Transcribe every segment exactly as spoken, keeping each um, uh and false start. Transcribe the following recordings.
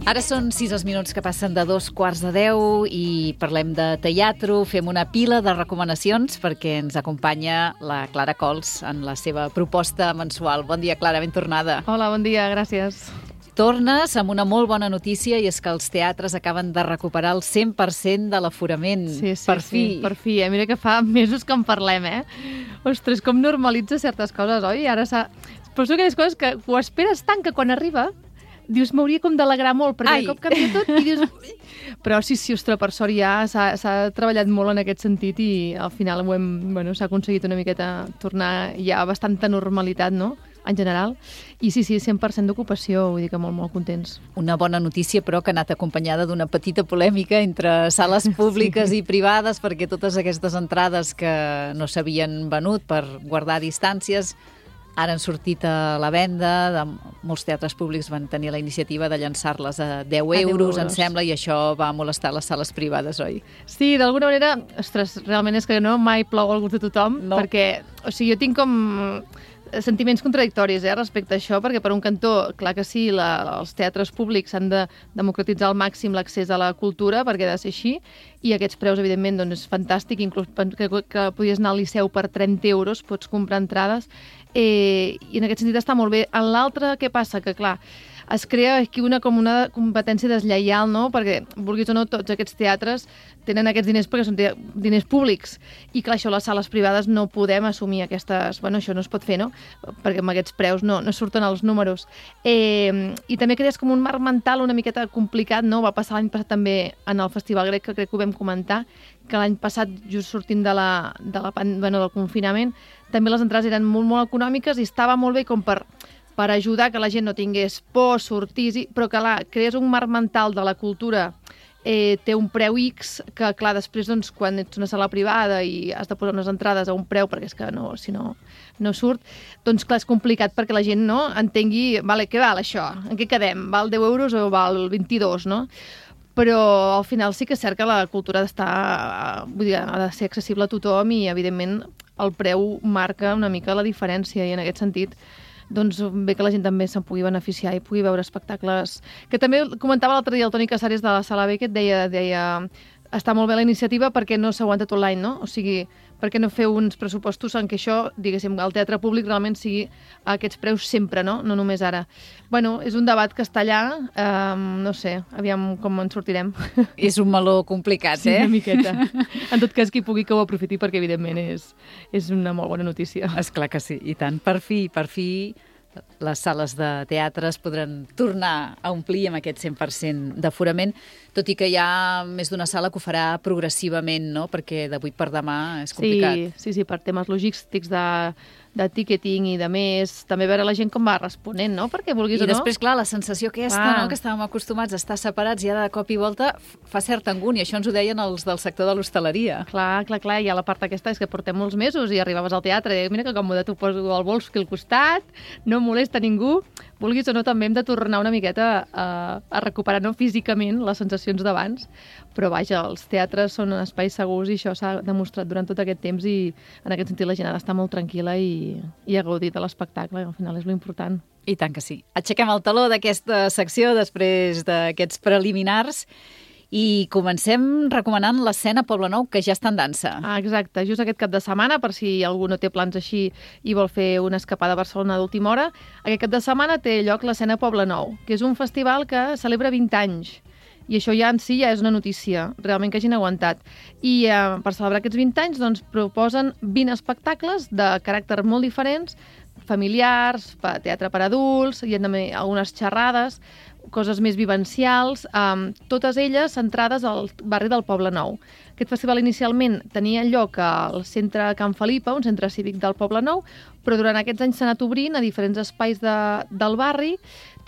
Ara són sis els minuts que passen de dos quarts de deu i parlem de teatre, fem una pila de recomanacions perquè ens acompanya la Clara Cols en la seva proposta mensual. Bon dia, Clara, ben tornada. Hola, bon dia, gràcies. Tornes amb una molt bona notícia i és que els teatres acaben de recuperar el cent per cent de l'aforament. Sí, sí, per fi. Sí, per fi. Eh? Mira que fa mesos que en parlem, eh? Ostres, com normalitza certes coses, oi? Ara s'ha... Però són aquelles coses que ho esperes tant que quan arriba dius, m'hauria com d'alegrar molt, perquè Ai. de cop canvia tot i dius... Però sí, sí, ostres, per sort ja s'ha treballat molt en aquest sentit i al final ho hem, bueno, s'ha aconseguit una miqueta tornar ja a bastanta normalitat, no?, en general. I sí, sí, cent per cent d'ocupació, vull dir que molt, molt contents. Una bona notícia, però, que ha anat acompanyada d'una petita polèmica entre sales públiques sí. i privades, perquè totes aquestes entrades que no s'havien venut per guardar distàncies ara han sortit a la venda. De molts teatres públics van tenir la iniciativa de llançar-les a deu euros, em sembla, i això va molestar les sales privades, oi? Sí, d'alguna manera, ostres, realment és que no mai plou al gust de tothom, no. perquè, o sigui, jo tinc com sentiments contradictoris eh, respecte a això, perquè per un cantó, clar que sí, la, els teatres públics han de democratitzar al màxim l'accés a la cultura, perquè ha de ser així, i aquests preus, evidentment, doncs, és fantàstic, inclús que, que podies anar al Liceu per trenta euros, pots comprar entrades, eh, i en aquest sentit està molt bé. En l'altre, què passa? Que, clar, es crea aquí una, com una competència deslleial, no? Perquè, vulguis o no, tots aquests teatres tenen aquests diners perquè són diners públics. I clar, això les sales privades no podem assumir aquestes... Bueno, això no es pot fer, no? Perquè amb aquests preus no, no surten els números. Eh, I també crees com un marc mental una miqueta complicat, no? Va passar l'any passat també en el Festival Grec, que crec que ho vam comentar, que l'any passat, just sortint de la, de la, bueno, del confinament, també les entrades eren molt, molt econòmiques i estava molt bé com per... per ajudar que la gent no tingués por, sortís, però que, clar, crees un marc mental de la cultura, eh, té un preu X, que, clar, després, doncs, quan ets una sala privada i has de posar unes entrades a un preu, perquè és que no, si no, no surt, doncs, clar, és complicat perquè la gent no entengui, vale, què val això? En què quedem? Val deu euros o val vint-i-dos, no? Però al final sí que és cert que la cultura ha d'estar, vull dir, ha de ser accessible a tothom i, evidentment, el preu marca una mica la diferència i, en aquest sentit, doncs bé que la gent també se'n pugui beneficiar i pugui veure espectacles. Que també comentava l'altre dia el Toni Casares de la Sala B, que et deia, deia està molt bé la iniciativa perquè no s'aguanta tot l'any, no? O sigui, perquè no fer uns pressupostos en què això, diguéssim, el teatre públic realment sigui a aquests preus sempre, no? No només ara. Bueno, és un debat que està allà, eh, no sé, aviam com en sortirem. És un meló complicat, sí, eh? Sí, una miqueta. En tot cas, qui pugui que ho aprofiti perquè, evidentment, és, és una molt bona notícia. Esclar que sí, i tant. Per fi, per fi, les sales de teatre es podran tornar a omplir amb aquest cent per cent d'aforament, tot i que hi ha més d'una sala que ho farà progressivament, no? Perquè d'avui per demà és complicat. Sí, sí, sí, per temes logístics de, de ticketing i de més, també veure la gent com va responent, no? Perquè vulguis I o no... I després, clar, la sensació aquesta, ah. no?, que estàvem acostumats a estar separats i ara de cop i volta fa certa angúnia. Això ens ho deien els del sector de l'hostaleria. Clar, clar, clar, i a la part aquesta és que portem molts mesos i arribaves al teatre i mira que còmode, t'ho poso al bols aquí al costat, no molesta ningú. Vulguis o no, també hem de tornar una miqueta a, a recuperar, no físicament, les sensacions d'abans, però vaja, els teatres són espais segurs i això s'ha demostrat durant tot aquest temps i en aquest sentit la gent ha d'estar molt tranquil·la i, i ha gaudit de l'espectacle, al final és l'important. I tant que sí. Aixequem el taló d'aquesta secció després d'aquests preliminars i comencem recomanant l'escena Poblenou, que ja està en dansa. Ah, exacte, just aquest cap de setmana, per si algú no té plans així i vol fer una escapada a Barcelona d'última hora, aquest cap de setmana té lloc l'escena Poblenou, que és un festival que celebra vint anys. I això ja en si ja és una notícia, realment que hagin aguantat. I eh, per celebrar aquests vint anys doncs, proposen vint espectacles de caràcter molt diferents, familiars, teatre per adults, hi ha també algunes xerrades, coses més vivencials, um, totes elles centrades al barri del Poblenou. Aquest festival inicialment tenia lloc al centre Can Felipa, un centre cívic del Poblenou, però durant aquests anys s'ha anat obrint a diferents espais de, del barri.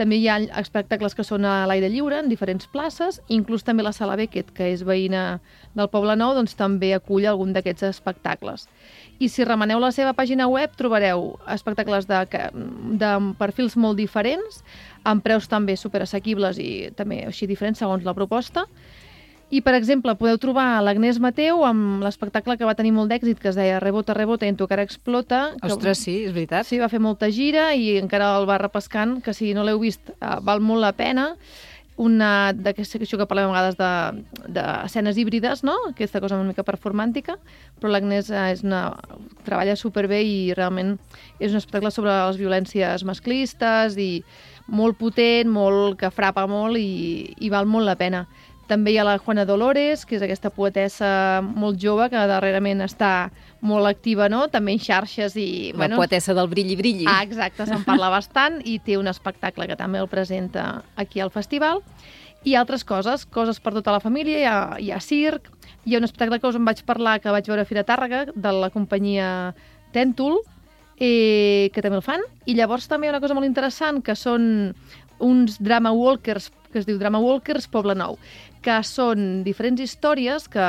També hi ha espectacles que són a l'aire lliure, en diferents places, inclús també la Sala Beckett, que és veïna del Poblenou, doncs també acull algun d'aquests espectacles. I si remeneu la seva pàgina web trobareu espectacles de, de perfils molt diferents, amb preus també superassequibles i també així diferents segons la proposta. I, per exemple, podeu trobar l'Agnès Mateu amb l'espectacle que va tenir molt d'èxit, que es deia Rebota, rebota i en tu cara explota. Ostres, sí, és veritat. Sí, va fer molta gira i encara el va repescant, que si no l'heu vist val molt la pena. una d'aquesta que parlem a vegades d'escenes híbrides, no? Aquesta cosa una mica performàntica, però l'Agnès és una, treballa superbé i realment és un espectacle sobre les violències masclistes i molt potent, molt, que frapa molt i, i val molt la pena. També hi ha la Juana Dolores, que és aquesta poetessa molt jove que darrerament està molt activa, no? També en xarxes i... La bueno, poetessa del brilli brilli. Ah, exacte, se'n parla bastant i té un espectacle que també el presenta aquí al festival. I altres coses, coses per tota la família, hi ha, hi ha circ, hi ha un espectacle que us en vaig parlar, que vaig veure a Fira Tàrrega, de la companyia Tèntol, eh, que també el fan. I llavors també hi ha una cosa molt interessant, que són uns drama walkers, que es diu Drama Walkers Poble Nou, que són diferents històries que,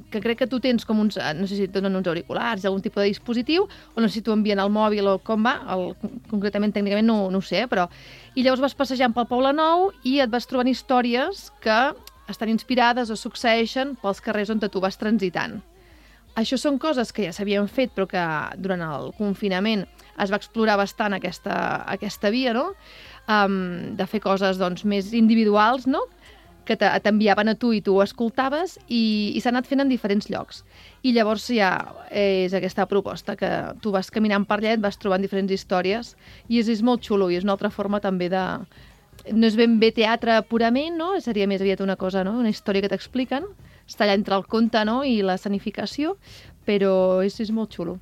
que crec que tu tens com uns, no sé si et donen uns auriculars, algun tipus de dispositiu, o no sé si t'ho envien al mòbil o com va, el, concretament, tècnicament, no, no ho sé, però... I llavors vas passejant pel Poble Nou i et vas trobant històries que estan inspirades o succeeixen pels carrers on tu vas transitant. Això són coses que ja s'havien fet, però que durant el confinament es va explorar bastant aquesta, aquesta via, no? Um, de fer coses doncs, més individuals, no? Que t'enviaven a tu i tu ho escoltaves i, i s'ha anat fent en diferents llocs. I llavors ja és aquesta proposta, que tu vas caminant per allà, et vas trobant diferents històries i és, és molt xulo i és una altra forma també de... No és ben bé teatre purament, no? Seria més aviat una cosa, no? Una història que t'expliquen, està allà entre el conte, no? I l'escenificació, però és, és molt xulo.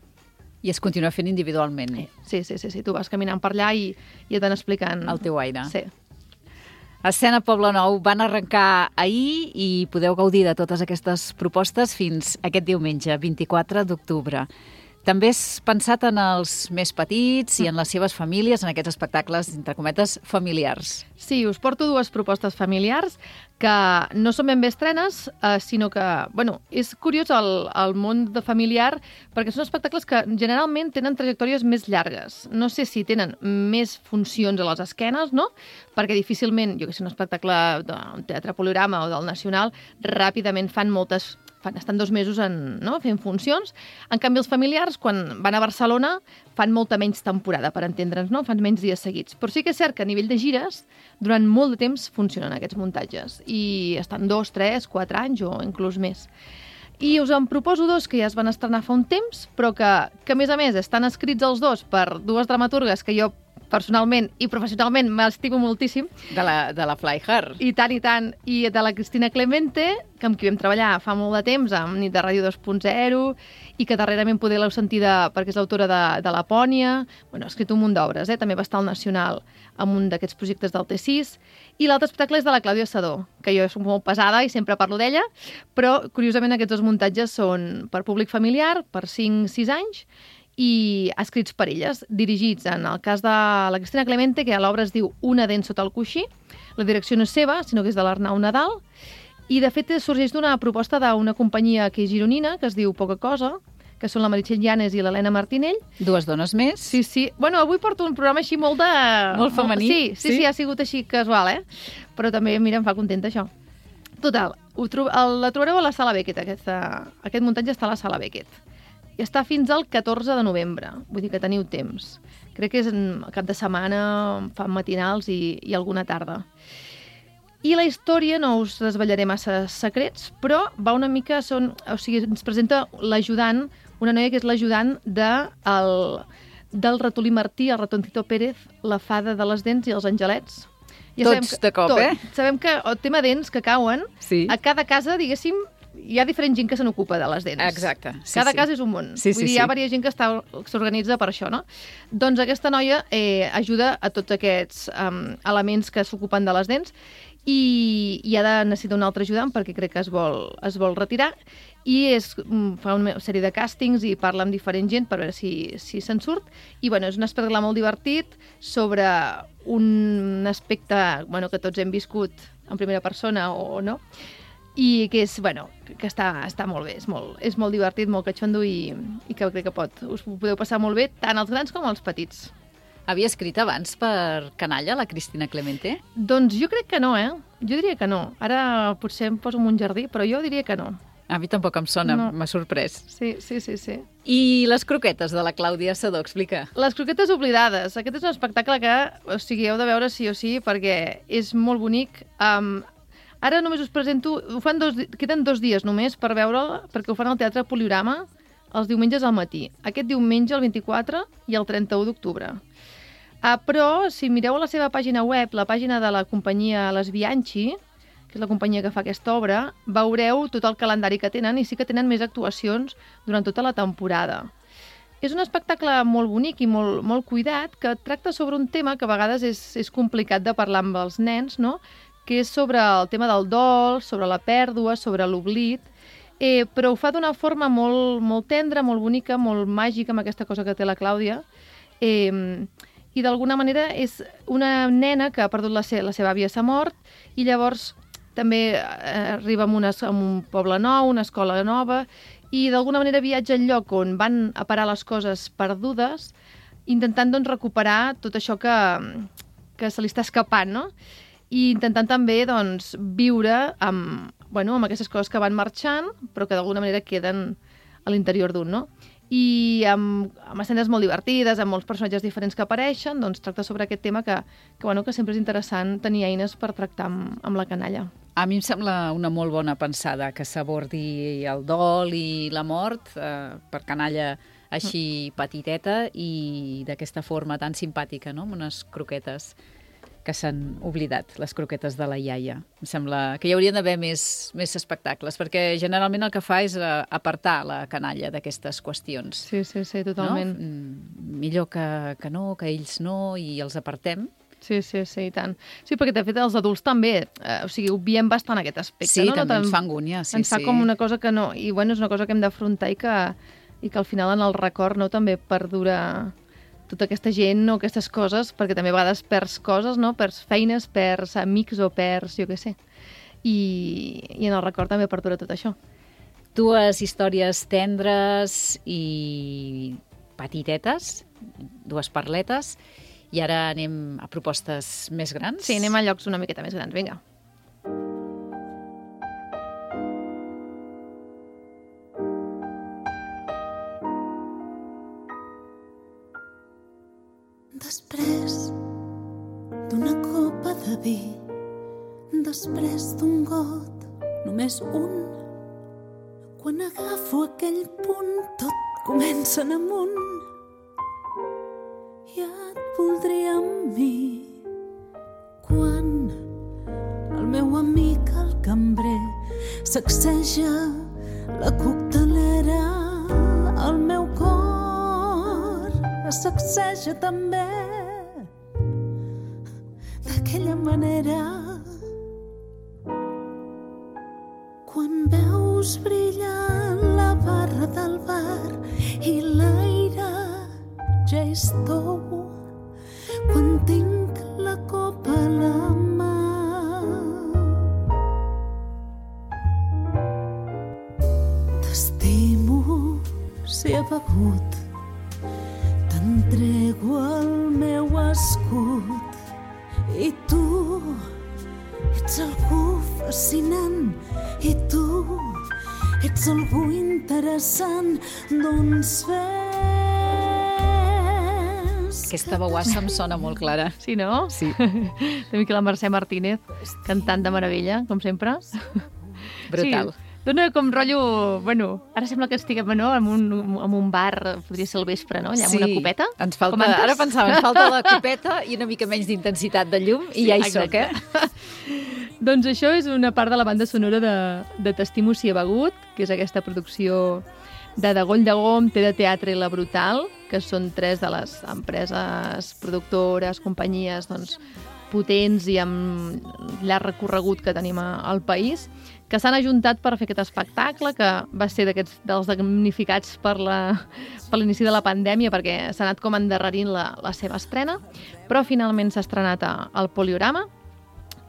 I es continua fent individualment. Sí, sí, sí, sí. Tu vas caminant per allà i, i et van explicant... El teu aire. Sí. Escena Poble Nou van arrencar ahir i podeu gaudir de totes aquestes propostes fins aquest diumenge, vint-i-quatre d'octubre. També has pensat en els més petits i en les seves famílies, en aquests espectacles, entre cometes, familiars. Sí, us porto dues propostes familiars que no són ben bé estrenes, eh, sinó que, bueno, és curiós el, el món de familiar perquè són espectacles que generalment tenen trajectòries més llargues. No sé si tenen més funcions a les esquenes, no? Perquè difícilment, jo que sé, un espectacle d'un teatre Poliorama o del Nacional, ràpidament fan moltes... Fan, estan dos mesos en, no? Fent funcions. En canvi, els familiars, quan van a Barcelona, fan molta menys temporada, per entendre'ns, no? Fan menys dies seguits. Però sí que és cert que a nivell de gires, durant molt de temps funcionen aquests muntatges. I estan dos, tres, quatre anys o inclús més. I us en proposo dos que ja es van estrenar fa un temps, però que, que a més a més, estan escrits els dos per dues dramaturgues que jo personalment i professionalment m'estimo moltíssim. De la, de la Fly Her. I tant, i tant. I de la Cristina Clemente, que amb qui vam treballar fa molt de temps, amb Nit de Ràdio dos punt zero, i que darrerament poder l'heu sentida perquè és l'autora de, de Lapònia. Bueno, ha escrit un munt d'obres, eh? També va estar al Nacional amb un d'aquests projectes del T sis. I l'altre espectacle és de la Clàudia Sadó, que jo soc molt pesada i sempre parlo d'ella, però curiosament aquests dos muntatges són per públic familiar, per cinc sis anys, i escrits per elles, dirigits en el cas de la Cristina Clemente, que l'obra es diu Una dent sota el coixí. La direcció no és seva, sinó que és de l'Arnau Nadal. I, de fet, sorgeix d'una proposta d'una companyia que és gironina, que es diu Poca Cosa, que són la Meritxell Llanes i l'Helena Martinell. Dues dones més. Sí, sí. Bueno, avui porto un programa així molt de... Molt femení. Sí, sí, sí, sí, ha sigut així casual, eh? Però també, mira, em fa contenta això. Total, ho tro... la trobareu a la Sala Beckett, aquesta... aquest muntatge està a la Sala Beckett. I està fins al catorze de novembre, vull dir que teniu temps. Crec que és en cap de setmana, fan matinals i, i alguna tarda. I la història, no us desvetllaré massa secrets, però va una mica... Són, o sigui, ens presenta l'ajudant, una noia que és l'ajudant de, el, del ratolí Martí, el ratoncito Pérez, la fada de les dents i els angelets. Ja Tots que, de cop, tot. eh? Sabem que el tema dents que cauen, sí. A cada casa, diguéssim, hi ha diferent gent que se n'ocupa de les dents. Exacte. Sí, Cada sí. cas és un món. Sí, Vull sí, dir, sí. hi ha diversa gent que està, s'organitza per això, no? Doncs aquesta noia eh, ajuda a tots aquests um, elements que s'ocupen de les dents i, i ha de necessitar un altre ajudant perquè crec que es vol, es vol retirar i és, fa una sèrie de càstings i parla amb diferent gent per veure si, si se'n surt. I bueno, és un espectacle molt divertit sobre un aspecte bueno, que tots hem viscut en primera persona o no, i que és, bueno, que està, està molt bé, és molt, és molt divertit, molt catxondo i, i que crec que pot, us ho podeu passar molt bé, tant els grans com els petits. Havia escrit abans per Canalla, la Cristina Clemente? Doncs jo crec que no, eh? Jo diria que no. Ara potser em poso en un jardí, però jo diria que no. A mi tampoc em sona, No. m'ha sorprès. Sí, sí, sí, sí. I les croquetes de la Clàudia Sedó, explica. Les croquetes oblidades. Aquest és un espectacle que, o sigui, heu de veure sí o sí, perquè és molt bonic. Um, ara només us presento... Ho fan dos, queden dos dies només per veure'l, perquè ho fan al Teatre Poliorama els diumenges al matí. Aquest diumenge, el vint-i-quatre, i el trenta-u d'octubre. Uh, però, si mireu a la seva pàgina web, la pàgina de la companyia Les Bianchi, que és la companyia que fa aquesta obra, veureu tot el calendari que tenen i sí que tenen més actuacions durant tota la temporada. És un espectacle molt bonic i molt, molt cuidat que tracta sobre un tema que a vegades és, és complicat de parlar amb els nens, no? Que és sobre el tema del dol, sobre la pèrdua, sobre l'oblit, eh, però ho fa d'una forma molt, molt tendra, molt bonica, molt màgica, amb aquesta cosa que té la Clàudia, eh, i d'alguna manera és una nena que ha perdut la, se la seva àvia, s'ha mort, i llavors també eh, arriba a, una, a un poble nou, una escola nova, i d'alguna manera viatja al lloc on van a parar les coses perdudes, intentant doncs, recuperar tot això que, que se li està escapant, no? I intentant també doncs, viure amb, bueno, amb aquestes coses que van marxant, però que d'alguna manera queden a l'interior d'un, no? I amb, amb escenes molt divertides, amb molts personatges diferents que apareixen, doncs tracta sobre aquest tema que, que, bueno, que sempre és interessant tenir eines per tractar amb, amb la canalla. A mi em sembla una molt bona pensada que s'abordi el dol i la mort eh, per canalla així petiteta i d'aquesta forma tan simpàtica, no? Amb unes croquetes que s'han oblidat, les croquetes de la iaia. Em sembla que hi haurien d'haver més, més espectacles, perquè generalment el que fa és apartar la canalla d'aquestes qüestions. Sí, sí, sí, totalment. No? Millor que, que no, que ells no, i els apartem. Sí, sí, sí, i tant. Sí, perquè de fet els adults també, eh, o sigui, obviem bastant aquest aspecte. Sí, no? també no, ens fa angúnia. Sí, ens fa sí. com una cosa que no... I bueno, és una cosa que hem d'afrontar i, que, i que al final en el record no també perdura tota aquesta gent o aquestes coses, perquè també a vegades perds coses, no? Perds feines, perds amics o perds, jo què sé. I, i en el record també perdura tot això. Dues històries tendres i petitetes, dues parletes, i ara anem a propostes més grans. Sí, anem a llocs una miqueta més grans, vinga. Després d'una copa de vi, després d'un got, només un, quan agafo aquell punt tot comença en amunt. Ja et voldria amb mi quan el meu amic el cambrer sacseja la coctelera, el meu cor es sacseja també d'aquella manera. Quan veus brillar la barra del bar i l'aire ja és tou, quan tinc la copa a la mà, t'estimo si he begut, t'entrego el meu escut i tu ets algú fascinant i tu ets algú interessant, doncs fes. Aquesta veuassa em sona molt clara. Sí, no? Sí. També que la Mercè Martínez, cantant de meravella, com sempre. Brutal. Sí. Dona com rotllo... Bueno, ara sembla que estiguem, no?, en un, en un bar, podria ser al vespre, no?, allà amb Sí, una copeta. Ens falta, Com antes? ara pensava, ens falta la copeta i una mica menys d'intensitat de llum i Sí, ja hi exacte. soc, eh? Doncs això és una part de la banda sonora de, de T'estimo si he begut, que és aquesta producció de Degoll de Gom, Té de Teatre i La Brutal, que són tres de les empreses productores, companyies, doncs, potents i amb llarg recorregut que tenim a- al país, que s'han ajuntat per fer aquest espectacle, que va ser d'aquests dels damnificats per la- per l'inici de la pandèmia, perquè s'ha anat com endarrerint la, la seva estrena, però finalment s'ha estrenat a, al Poliorama.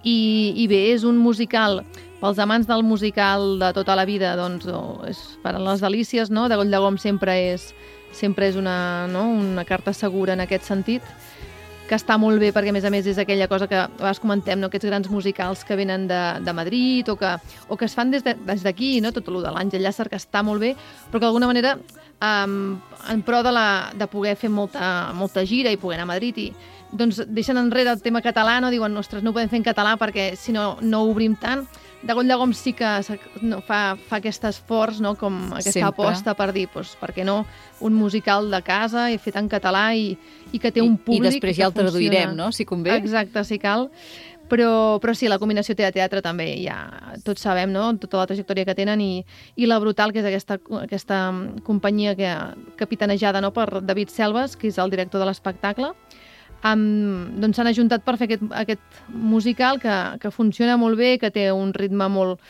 I, I bé, és un musical, pels amants del musical de tota la vida, doncs, oh, és per a les delícies, no? Degoll de Gom sempre és, sempre és una, no? una carta segura en aquest sentit. que està molt bé perquè, a més a més, és aquella cosa que a vegades comentem, no? Aquests grans musicals que venen de, de Madrid o que, o que es fan des d'aquí, de, no? Tot el de l'Àngel Llàcer, que està molt bé, però que d'alguna manera, um, en pro de, la, de poder fer molta, molta gira i poder anar a Madrid, i doncs deixen enrere el tema català, no? Diuen, ostres, no ho podem fer en català perquè si no, no obrim tant. De Goll de Gom sí que no, fa, fa aquest esforç, no? Com aquesta Sempre. aposta per dir, doncs, per què no, un musical de casa i fet en català i, i que té un públic. I després ja el traduirem, no?, si convé. Exacte, si cal. Però, però sí, la combinació teatre també, ja tots sabem, no?, tota la trajectòria que tenen, i, i la Brutal, que és aquesta, aquesta companyia que, capitanejada, no?, per David Selves, que és el director de l'espectacle. Um, doncs s'han ajuntat per fer aquest, aquest musical que, que funciona molt bé, que té un ritme molt,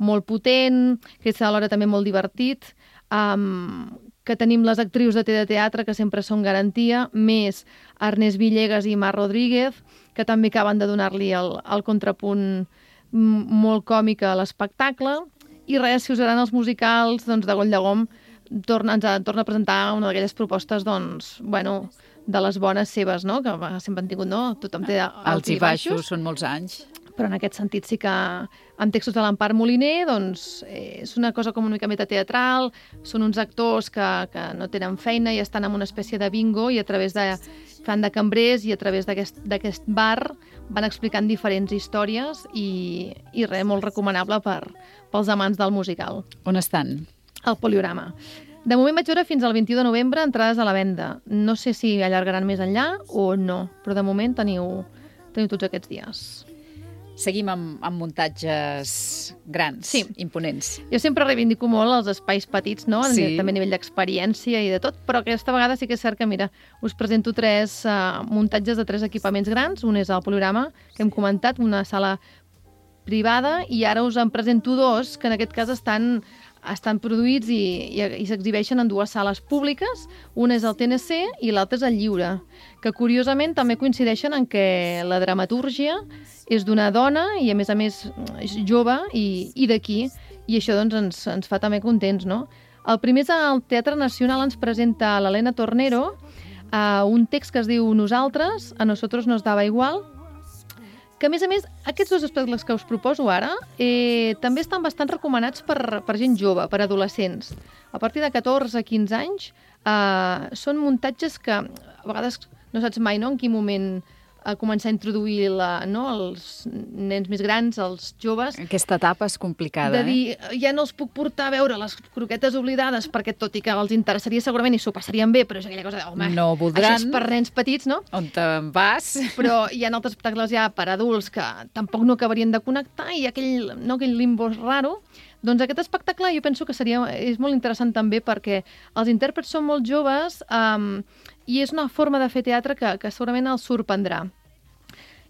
molt potent, que és alhora també molt divertit, um, que tenim les actrius de de teatre que sempre són garantia, més Ernest Villegas i Mar Rodríguez, que també acaben de donar-li el, el contrapunt molt còmic a l'espectacle. I res, si us agraden els musicals, doncs de Goll de Gom torna, ens torna a presentar una d'aquelles propostes, doncs, bueno, de les bones seves, no?, que sempre han tingut, no? Tothom té alts i baixos. Són molts anys. Però en aquest sentit sí que, amb textos de l'Empar Moliner, doncs, eh, és una cosa com una mica metateatral, són uns actors que, que no tenen feina i estan en una espècie de bingo i a través de, fan de cambrers i a través d'aquest bar van explicant diferents històries i, i res, molt recomanable per, pels amants del musical. On estan? Al Poliorama. De moment vaig veure fins al vint-i-u de novembre entrades a la venda. No sé si allargaran més enllà o no, però de moment teniu, teniu tots aquests dies. Seguim amb, amb muntatges grans, sí. imponents. Jo sempre reivindico molt els espais petits, no? Sí. També a nivell d'experiència i de tot, però aquesta vegada sí que és cert que, mira, us presento tres uh, muntatges de tres equipaments grans. Un és el Poliorama, que hem comentat, una sala privada, i ara us en presento dos, que en aquest cas estan... estan produïts i, i, i s'exhibeixen en dues sales públiques. Una és el T N C i l'altra és el Lliure, que curiosament també coincideixen en què la dramatúrgia és d'una dona i a més a més és jove i, i d'aquí, i això doncs ens, ens fa també contents, no? El primer és el Teatre Nacional, ens presenta l'Helena Tornero, uh, un text que es diu Nosaltres, a nosotros nos daba igual, que, a més a més, aquests dos espectacles que us proposo ara eh, també estan bastant recomanats per, per gent jove, per adolescents. A partir de catorze a quinze anys eh, són muntatges que a vegades no saps mai, no?, en quin moment a començar a introduir la, no, els nens més grans, els joves. Aquesta etapa és complicada, de dir, eh? ja no els puc portar a veure les croquetes oblidades perquè, tot i que els interessaria segurament i s'ho passarien bé, però és aquella cosa de, home, no voldran. Això és per nens petits, no? On te'n vas? Però hi ha altres espectacles ja per adults que tampoc no acabarien de connectar i aquell, no, aquell limbo raro. Doncs aquest espectacle jo penso que seria, és molt interessant també perquè els intèrprets són molt joves um, i és una forma de fer teatre que, que segurament els sorprendrà.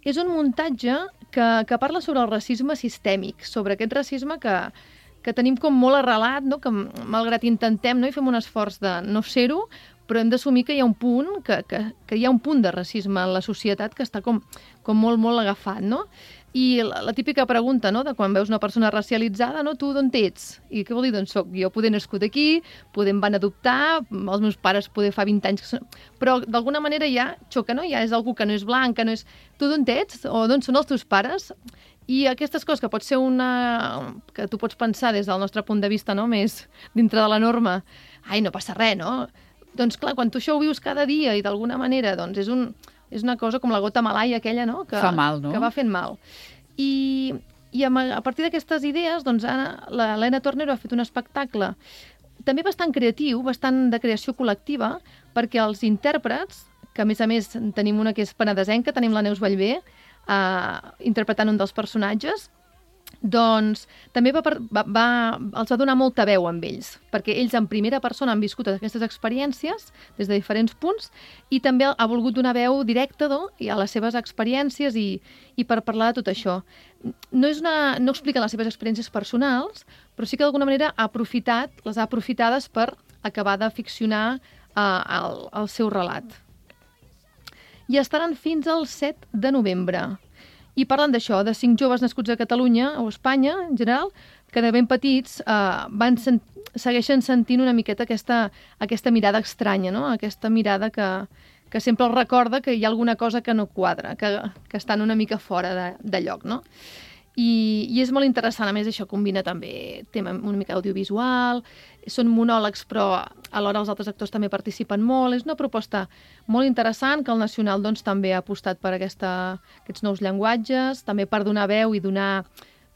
És un muntatge que, que parla sobre el racisme sistèmic, sobre aquest racisme que, que tenim com molt arrelat, no? Que malgrat intentem, no? I fem un esforç de no ser-ho, però hem d'assumir que hi ha un punt, que, que, que hi ha un punt de racisme en la societat que està com, com molt, molt agafat, no? I la, la típica pregunta, no?, de quan veus una persona racialitzada, no?, tu d'on ets? I què vol dir? Doncs soc jo, poder nascut aquí, poder em van adoptar, els meus pares poder fa vint anys... Que són... Però d'alguna manera ja xoca, no? Ja és algú que no és blanc, que no és... Tu d'on ets? O d'on són els teus pares? I aquestes coses que pot ser una... que tu pots pensar des del nostre punt de vista, no?, més dintre de la norma. Ai, no passa res, no? Doncs clar, quan tu això ho vius cada dia i d'alguna manera, doncs és un... És una cosa com la gota malaia aquella, no? Que, fa mal, no? Que va fent mal. I, i a partir d'aquestes idees, doncs, l'Helena Tornero ha fet un espectacle també bastant creatiu, bastant de creació col·lectiva, perquè els intèrprets, que a més a més tenim una que és penedesenca, tenim la Neus Vallvé, eh, interpretant un dels personatges, doncs també va, va, va, els va donar molta veu amb ells, perquè ells en primera persona han viscut aquestes experiències des de diferents punts i també ha volgut donar veu directa, no?, a les seves experiències i, i per parlar de tot això. No, és una, no expliquen les seves experiències personals, però sí que d'alguna manera ha aprofitat, les ha aprofitades per acabar de ficcionar eh, el, el seu relat. I estaran fins al set de novembre. I parlen d'això, de cinc joves nascuts a Catalunya o a Espanya, en general, que de ben petits eh, van sent, segueixen sentint una miqueta aquesta, aquesta mirada estranya, no? Aquesta mirada que, que sempre els recorda que hi ha alguna cosa que no quadra, que, que estan una mica fora de, de lloc, no? I, I és molt interessant, a més això combina també tema una mica audiovisual, són monòlegs però alhora els altres actors també participen molt, és una proposta molt interessant que el Nacional doncs, també ha apostat per aquesta, aquests nous llenguatges, també per donar veu i donar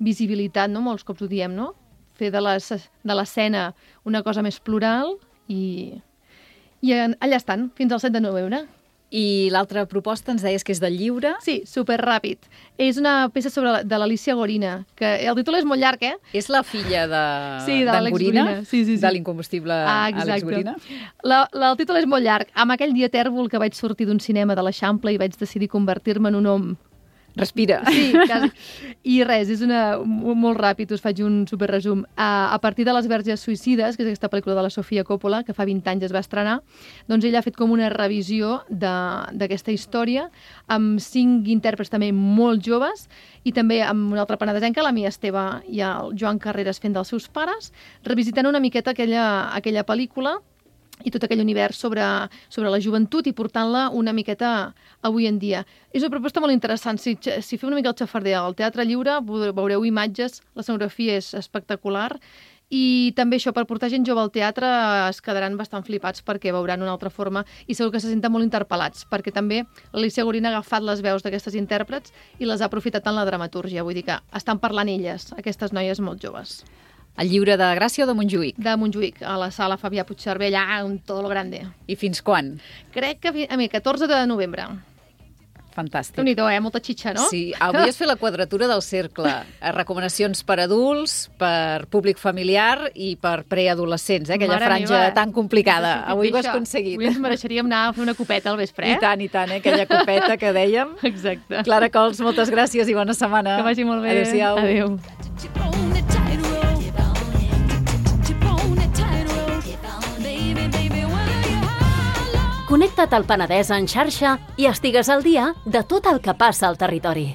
visibilitat, no? Molts cops ho diem, no? Fer de l'escena una cosa més plural i, i allà estan, fins al set de novembre. I l'altra proposta ens deies que és del lliure? Sí, superràpid. És una peça sobre de l'Alícia Gorina, que el títol és molt llarg, eh? És la filla de, sí, de d'en Gorina, sí, sí, sí. de l'incombustible ah, Àlex Gorina. La, la, el títol és molt llarg. Amb aquell dia tèrbol que vaig sortir d'un cinema de l'Eixample i vaig decidir convertir-me en un home. Respira. Sí, quasi. I res, és una, molt ràpid, us faig un superresum. A, a partir de Les verges suïcides, que és aquesta pel·lícula de la Sofia Coppola, que fa vint anys es va estrenar, doncs ella ha fet com una revisió d'aquesta història amb cinc intèrprets també molt joves i també amb una altra penedesenca, la Mia Esteve i el Joan Carreras fent dels seus pares, revisitant una miqueta aquella, aquella pel·lícula i tot aquell univers sobre, sobre la joventut i portant-la una miqueta avui en dia. És una proposta molt interessant. Si, si feu una mica el xafarder al Teatre Lliure, veureu imatges, l'escenografia és espectacular i també això, per portar gent jove al teatre es quedaran bastant flipats perquè veuran una altra forma i segur que se senten molt interpel·lats perquè també l'Alícia Gorina ha agafat les veus d'aquestes intèrprets i les ha aprofitat en la dramatúrgia. Vull dir que estan parlant elles, aquestes noies molt joves. El Lliure de Gràcia o de Montjuïc? De Montjuïc, a la sala Fabià Puigcerver, allà on tot lo grande. I fins quan? Crec que a mi, catorze de novembre. Fantàstic. Déu-n'hi-do, eh? Molta xitxa, no? Sí, avui has fet la quadratura del cercle. Recomanacions per adults, per públic familiar i per preadolescents, eh? Aquella Mare franja meva. tan complicada. Sí, Avui ho has això. aconseguit. Avui ens mereixeríem anar a fer una copeta al vespre, eh? I tant, i tant, eh? Aquella copeta que dèiem. Exacte. Clara Cols, moltes gràcies i bona setmana. Que vagi molt bé. Adéu-siau. Adéu. Connecta't al Penedès en xarxa i estigues al dia de tot el que passa al territori.